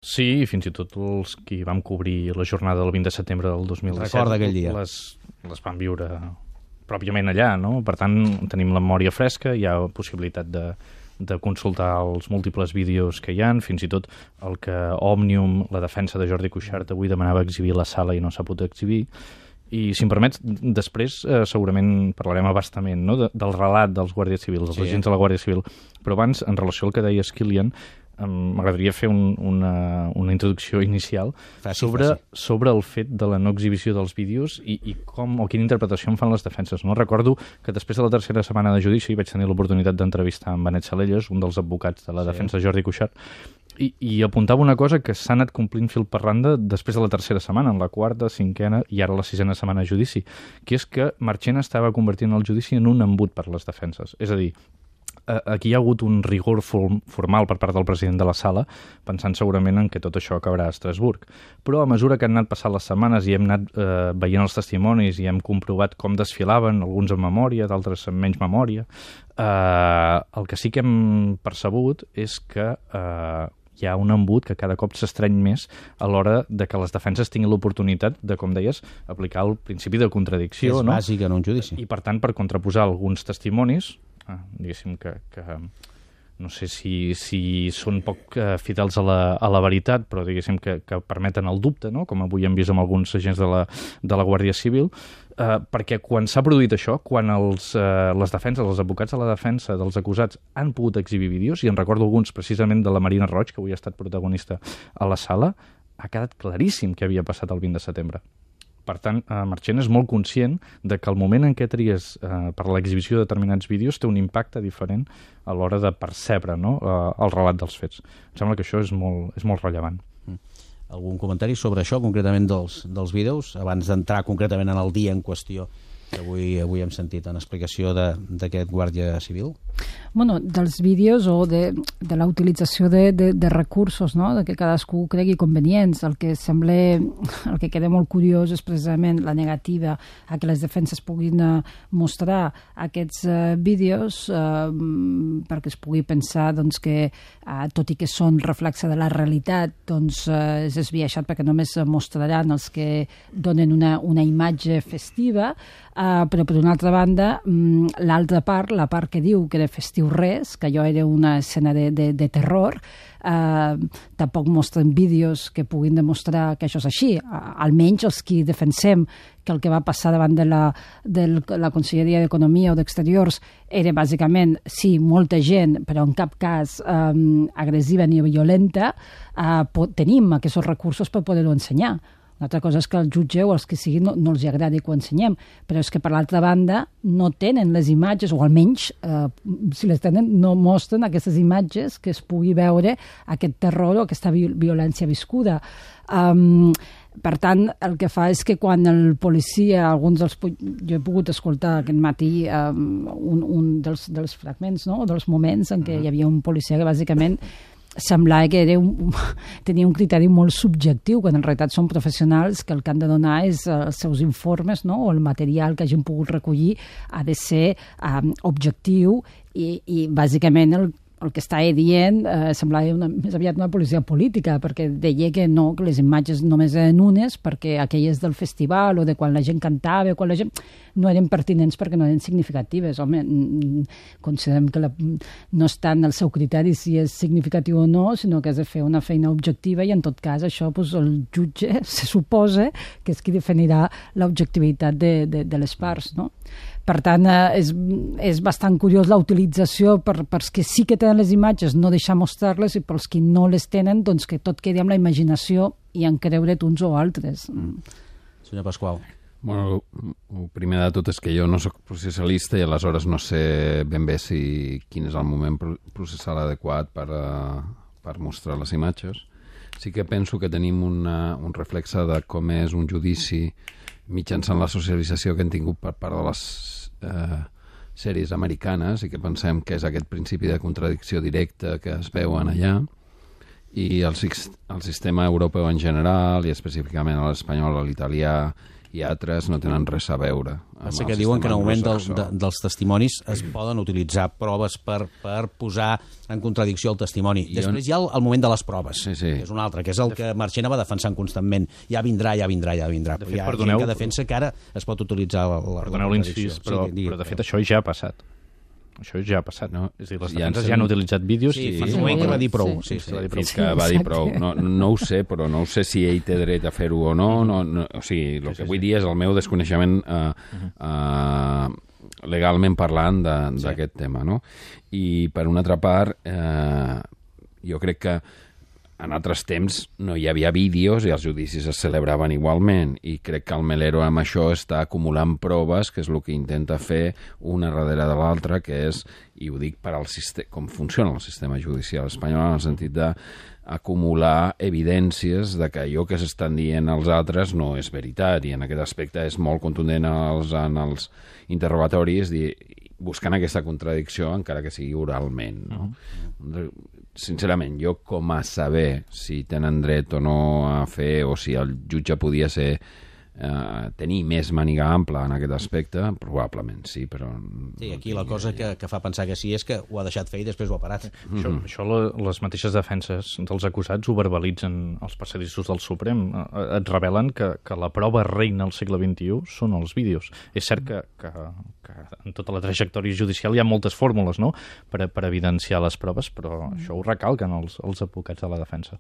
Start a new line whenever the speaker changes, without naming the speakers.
Sí, fins i tot els qui vam cobrir la jornada del 20 de setembre del 2017
Recorda aquell dia.
les van viure pròpiament allà, no? Per tant, tenim la memòria fresca, hi ha possibilitat de consultar els múltiples vídeos que hi han, fins i tot el que Òmnium, la defensa de Jordi Cuixart, avui demanava exhibir a la sala i no s'ha pogut exhibir. I, si em permets, després segurament parlarem a bastament, no? Del relat dels guàrdies civils, dels agents de la Guàrdia Civil. Però abans, en relació al que deies, Kilian, m'agradaria fer una introducció inicial sobre el fet de la no exhibició dels vídeos i com o quina interpretació en fan les defenses. No? Recordo que després de la tercera setmana de judici vaig tenir l'oportunitat d'entrevistar en Benet Salelles, un dels advocats de la defensa de Jordi Cuixart, i apuntava una cosa que s'ha anat complint fil per randa després de la tercera setmana, en la quarta, cinquena i ara la sisena setmana de judici, que és que Marchena estava convertint el judici en un embut per les defenses. És a dir, aquí hi ha hagut un rigor formal per part del president de la sala, pensant segurament en que tot això acabarà a Estrasburg. Però a mesura que han anat passant les setmanes i hem anat veient els testimonis i hem comprovat com desfilaven, alguns amb memòria, d'altres amb menys memòria, el que sí que hem percebut és que hi ha un embut que cada cop s'estreny més a l'hora de que les defenses tinguin l'oportunitat de, com deies, aplicar el principi de contradicció.
És bàsic en un judici.
I, per tant, per contraposar alguns testimonis, diguéssim que no sé si són poc fidels a la veritat, però diguéssim que permeten el dubte, no? Com avui hem vist amb alguns agents de la Guàrdia Civil, perquè quan s'ha produït això, quan les defenses, els advocats de la defensa dels acusats han pogut exhibir vídeos, i en recordo alguns precisament de la Marina Roig, que avui ha estat protagonista a la sala, ha quedat claríssim què havia passat el 20 de setembre. Per tant, Marchena és molt conscient de que el moment en què tries per l'exhibició de determinats vídeos té un impacte diferent a l'hora de percebre, no? El relat dels fets. Em sembla que això és molt rellevant.
Algun comentari sobre això, concretament dels vídeos, abans d'entrar concretament en el dia en qüestió que avui hem sentit en explicació d'aquest guàrdia civil?
Bueno, dels vídeos o de la utilització de recursos, no? De que cadascú cregui convenients. El que queda molt curiós és precisament la negativa a que les defenses puguin mostrar aquests vídeos perquè es pugui pensar doncs, que tot i que són reflexe de la realitat, doncs és esbiaixat perquè només mostraran els que donen una imatge festiva, però per una altra banda l'altra part, la part que diu que era festiu res, que allò era una escena de terror, tampoc mostren vídeos que puguin demostrar que això és així. Almenys els que defensem que el que va passar davant de la Conselleria d'Economia o d'Exteriors era bàsicament, sí, molta gent, però en cap cas agressiva ni violenta, tenim aquests recursos per poder-ho ensenyar. Una altra cosa és que el jutge o els que siguin no els agradi que ho ensenyem, però és que per l'altra banda no tenen les imatges, o almenys si les tenen no mostren aquestes imatges que es pugui veure aquest terror o aquesta violència viscuda. Per tant, el que fa és que quan el policia, jo he pogut escoltar aquest matí un dels fragments, no? O dels moments en què hi havia un policia que bàsicament semblava que tenia un criteri molt subjectiu, quan en realitat són professionals que el que han de donar és els seus informes, no? O el material que hagin pogut recollir ha de ser objectiu i bàsicament el que estava dient semblava més aviat una policia política, perquè deia que no, que les imatges només eren unes, perquè aquelles del festival o de quan la gent cantava, quan la gent no eren pertinents perquè no eren significatives. Home, considerem que no està en el seu criteri si és significatiu o no, sinó que has de fer una feina objectiva i en tot cas això el jutge se suposa que és qui definirà l'objectivitat de les parts, no? Per tant, és bastant curiós la utilització pels que sí que tenen les imatges, no deixar mostrar-les, i pels que no les tenen, doncs que tot quedi amb la imaginació i en creure't uns o altres.
Senyor Pasqual.
Bueno, el primer de tot és que jo no soc processalista i aleshores no sé ben bé quin és el moment processal adequat per mostrar les imatges. Sí que penso que tenim un reflexe de com és un judici mitjançant la socialització que hem tingut per part de les sèries americanes i que pensem que és aquest principi de contradicció directa que es veuen allà, i el sistema europeu en general i específicament l'espanyol, l'italià i altres no tenen res a veure.
Passa que diuen que en el moment dels testimonis es poden utilitzar proves per posar en contradicció el testimoni. Després hi ha el moment de les proves, que és un altre, que és el que Marchena va defensant constantment. Ja vindrà. De fet, hi ha gent que defensa que ara es pot utilitzar la
perdoneu l'incís, però de fet això ja ha passat. Això ja ha passat, no? És a dir, les defenses ja han utilitzat vídeos...
Sí, fa un moment que va dir prou.
Fins que va dir prou. No ho sé, però no sé si ell té dret a fer-ho o no. O sigui, el que vull dir és el meu desconeixement legalment parlant d'aquest tema, no? I, per una altra part, jo crec que en altres temps no hi havia vídeos i els judicis es celebraven igualment, i crec que el Melero amb això està acumulant proves, que és el que intenta fer una darrere de l'altra, que és, i ho dic per com funciona el sistema judicial espanyol, en el sentit d'acumular evidències de que allò que s'estan dient els altres no és veritat, i en aquest aspecte és molt contundent en els interrogatoris, buscant aquesta contradicció, encara que sigui oralment, no? Sincerament, jo com a saber si tenen dret o no a fer, o si el jutge podia tenir més màniga ampla en aquest aspecte, probablement sí, però...
Sí, aquí la cosa que fa pensar que sí és que ho ha deixat fer i després ho ha parat.
Això les mateixes defenses dels acusats ho verbalitzen els passadissos del Suprem. Et revelen que la prova reina al segle XXI són els vídeos. És cert que en tota la trajectòria judicial hi ha moltes fórmules, no?, per evidenciar les proves, però això ho recalquen els advocats de la defensa.